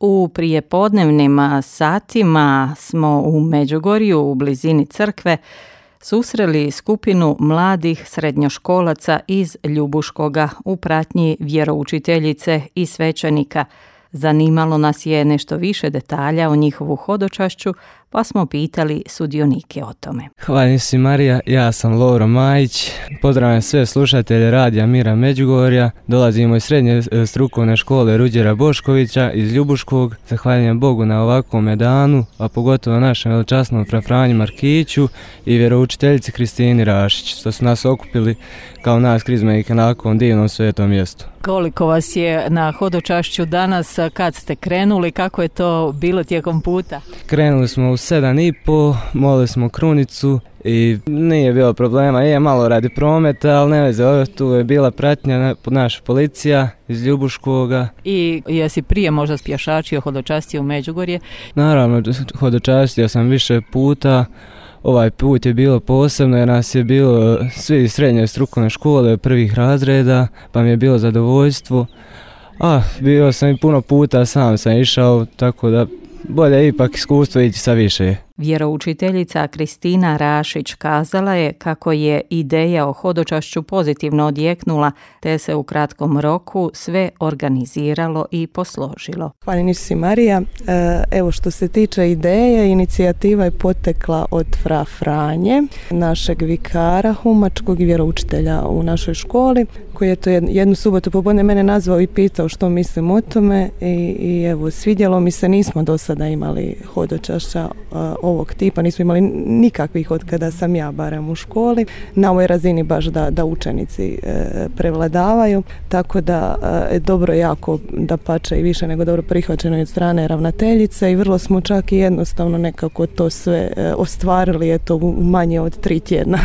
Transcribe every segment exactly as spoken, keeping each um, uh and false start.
U prijepodnevnim satima smo u Međugorju, u blizini crkve, susreli skupinu mladih srednjoškolaca iz Ljubuškoga u pratnji vjeroučiteljice i svećenika. Zanimalo nas je nešto više detalja o njihovu hodočašću, pa smo pitali sudionike o tome. Hvala si Marija, ja sam Lovro Majić, pozdravljam sve slušatelje Radija Mira Međugorja, dolazimo iz srednje strukovne škole Ruđera Boškovića iz Ljubuškog. Zahvaljujem Bogu na ovakvom danu, a pogotovo našem veličasnom fra Franji Markiću i vjeroučiteljici Kristini Rašić, što su nas okupili kao nas krizmenike na ovakvom divnom svetom mjestu. Koliko vas je na hodočašću danas, kad ste krenuli, kako je to bilo tijekom puta? Krenuli smo u sedam i po, molili smo krunicu i nije bilo problema, je malo radi prometa, ali ne veze, tu je bila pratnja naša policija iz Ljubuškoga. I jesi prije možda spješačio, hodočastio u Međugorje? Naravno, hodočastio sam više puta. Ovaj put je bilo posebno jer nas je bilo svi iz srednje strukovne škole prvih razreda, pa mi je bilo zadovoljstvo. A, bio sam i puno puta, sam sam išao, tako da bolje ipak iskustvo ići sa više. Vjeroučiteljica Kristina Rašić kazala je kako je ideja o hodočašću pozitivno odjeknula, te se u kratkom roku sve organiziralo i posložilo. Hvala si Marija. Evo što se tiče ideje, inicijativa je potekla od fra Franje, našeg vikara humačkog i vjeroučitelja u našoj školi, koji je to jednu subotu popodne mene nazvao i pitao što mislim o tome i, i evo svidjelo mi se, nismo do sada imali hodočašća ovog tipa, nismo imali nikakvih od kada sam ja barem u školi, na ovoj razini baš da, da učenici e, prevladavaju, tako da e, dobro jako da pače i više nego dobro prihvaćeno od strane ravnateljice i vrlo smo čak i jednostavno nekako to sve e, ostvarili eto u manje od tri tjedna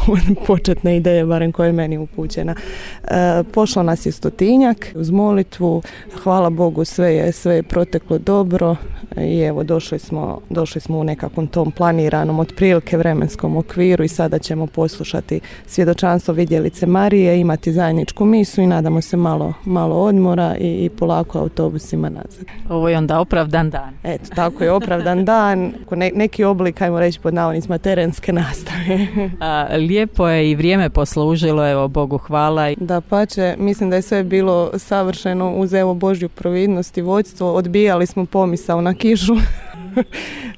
od početne ideje, barem koja je meni upućena. E, pošlo nas je stotinjak uz molitvu, hvala Bogu sve je, sve je proteklo dobro i evo došli smo, došli smo u nekakvom tom planiranom otprilike vremenskom okviru i sada ćemo poslušati svjedočanstvo vidjelice Marije, imati zajedničku misu i nadamo se malo, malo odmora i, i polako autobusima nazad. Ovo je onda opravdan dan. Eto, tako je opravdan dan, ne, neki oblik, ajmo reći pod navodnicima, terenske nastave. A, lijepo je i vrijeme poslužilo, evo Bogu hvala. Da pače, mislim da je sve bilo savršeno uz evo Božju providnost i vodstvo, odbijali smo pomisao na kišu.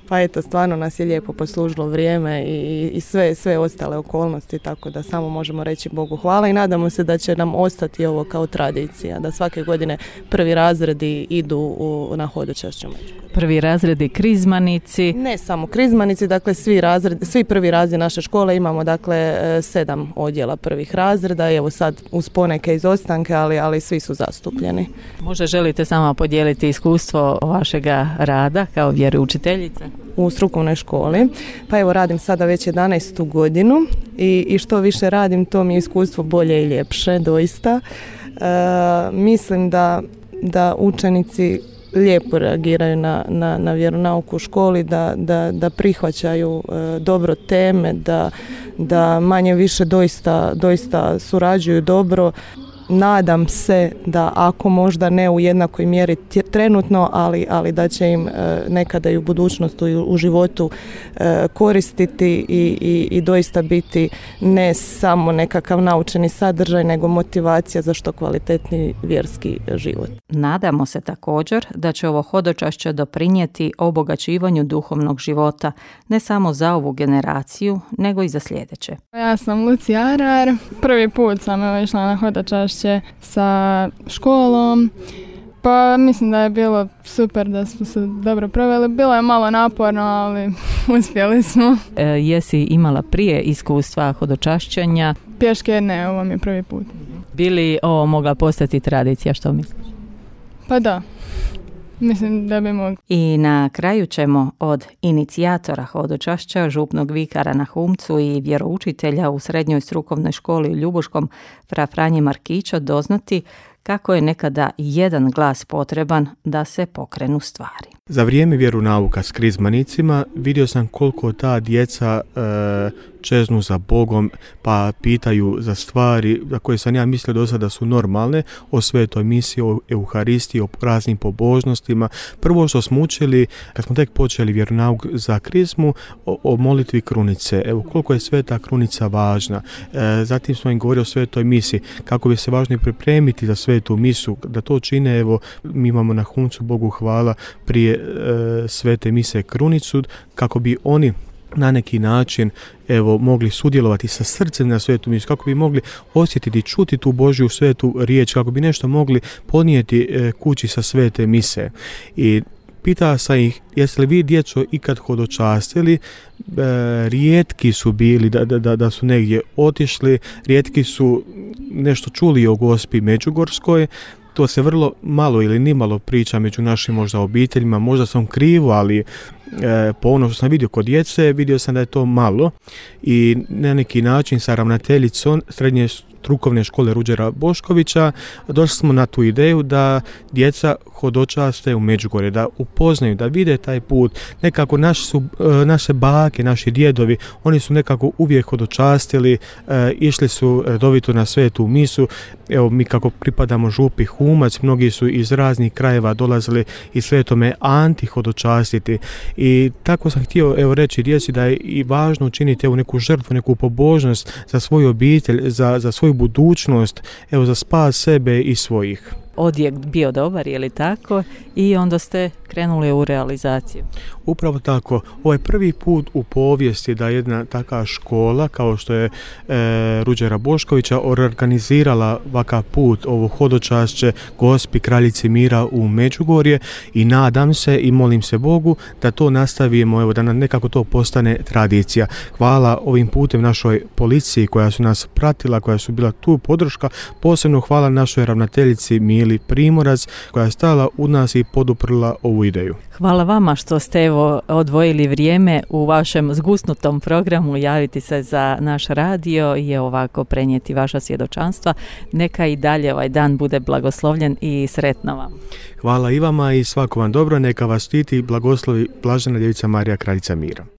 Pa eto, stvarno nas je lijepo poslužilo vrijeme i, i sve, sve ostale okolnosti, tako da samo možemo reći Bogu hvala i nadamo se da će nam ostati ovo kao tradicija, da svake godine prvi razredi idu u, na hodočašću. Prvi razredi krizmanici? Ne samo krizmanici, dakle svi razredi, svi prvi razredi naše škole imamo dakle sedam odjela prvih razreda, evo sad uz poneke izostanke, ali, ali svi su zastupljeni. Možda želite samo podijeliti iskustvo vašega rada kao vjeroučiteljica? U strukovnoj školi. Pa evo radim sada već jedanaestu godinu i, i što više radim to mi je iskustvo bolje i ljepše, doista. E, mislim da, da učenici lijepo reagiraju na, na, na vjeronauku u školi, da, da, da prihvaćaju e, dobro teme, da, da manje više doista, doista surađuju dobro. Nadam se da ako možda ne u jednakoj mjeri trenutno, ali, ali da će im e, nekada i u budućnosti i u životu e, koristiti i, i, i doista biti ne samo nekakav naučeni sadržaj, nego motivacija za što kvalitetniji vjerski život. Nadamo se također da će ovo hodočašće doprinijeti obogaćivanju duhovnog života, ne samo za ovu generaciju, nego i za sljedeće. Ja sam Lucija Arar, prvi put sam evo išla na hodočašće sa školom, pa mislim da je bilo super, da smo se dobro proveli. Bilo je malo naporno, ali uspjeli smo. E, jesi imala prije iskustva hodočašćenja? Pješke ne, ovo mi je prvi put. Bi li ovo mogla postati tradicija, što misliš? Pa da. Mislim da bi mogli. I na kraju ćemo od inicijatora hodočašća, župnog vikara na Humcu i vjeroučitelja u srednjoj strukovnoj školi u Ljubuškom fra Franje Markića doznati kako je nekada jedan glas potreban da se pokrenu stvari. Za vrijeme vjeronauka s krizmanicima vidio sam koliko ta djeca e, čeznu za Bogom, pa pitaju za stvari za koje sam ja mislio do sada su normalne, o svetoj misi, o Euharistiji, o raznim pobožnostima. Prvo što smo učili, kad smo tek počeli vjeronauk za krizmu, o, o molitvi krunice. Evo, koliko je sveta krunica važna. E, zatim smo im govorili o svetoj misi, kako bi se važno pripremiti za svetu misu, da to čine, evo, mi imamo na huncu, Bogu hvala, prije e, svete mise krunicu, kako bi oni na neki način evo mogli sudjelovati sa srcem na svetu misu, kako bi mogli osjetiti, čuti tu Božju svetu riječ, kako bi nešto mogli ponijeti e, kući sa svete mise. I pitao sam ih, jeste li vi djeco ikad hodočastili? E, rijetki su bili da, da, da su negdje otišli, rijetki su nešto čuli o Gospi Međugorskoj. To se vrlo malo ili nimalo priča među našim možda obiteljima, možda sam krivo, ali e, po ono što sam vidio kod djece, vidio sam da je to malo i na neki način sa ravnateljicom srednje strukovne škole Ruđera Boškovića došli smo na tu ideju da djeca hodočaste u Međugorje, da upoznaju, da vide taj put. Nekako naši su, naše bake, naši djedovi, oni su nekako uvijek hodočastili, e, išli su redovito na svetu misu. Evo, mi kako pripadamo župi Humac, mnogi su iz raznih krajeva dolazili i svetome Anti hodočastiti. I tako sam htio evo reći djeci da je i važno učiniti evo neku žrtvu, neku pobožnost za svoju obitelj, za, za svoju budućnost, evo za spas sebe i svojih. Odjek bio dobar, je li tako? I onda ste krenuli u realizaciju. Upravo tako. Ovo je prvi put u povijesti da jedna taka škola kao što je e, Ruđera Boškovića organizirala ovakav put, ovo hodočašće Gospi Kraljici mira u Međugorje i nadam se i molim se Bogu da to nastavimo, evo da nam nekako to postane tradicija. Hvala ovim putem našoj policiji koja su nas pratila, koja su bila tu podrška, posebno hvala našoj ravnateljici Mili Primorac koja je stala u nas i poduprla ovu ideju. Hvala vama što ste evo odvojili vrijeme u vašem zgusnutom programu javiti se za naš radio i ovako prenijeti vaša svjedočanstva. Neka i dalje ovaj dan bude blagoslovljen i sretno vam. Hvala i vama i svako vam dobro, neka vas štiti i blagoslovi Blažena Djevica Marija Kraljica mira.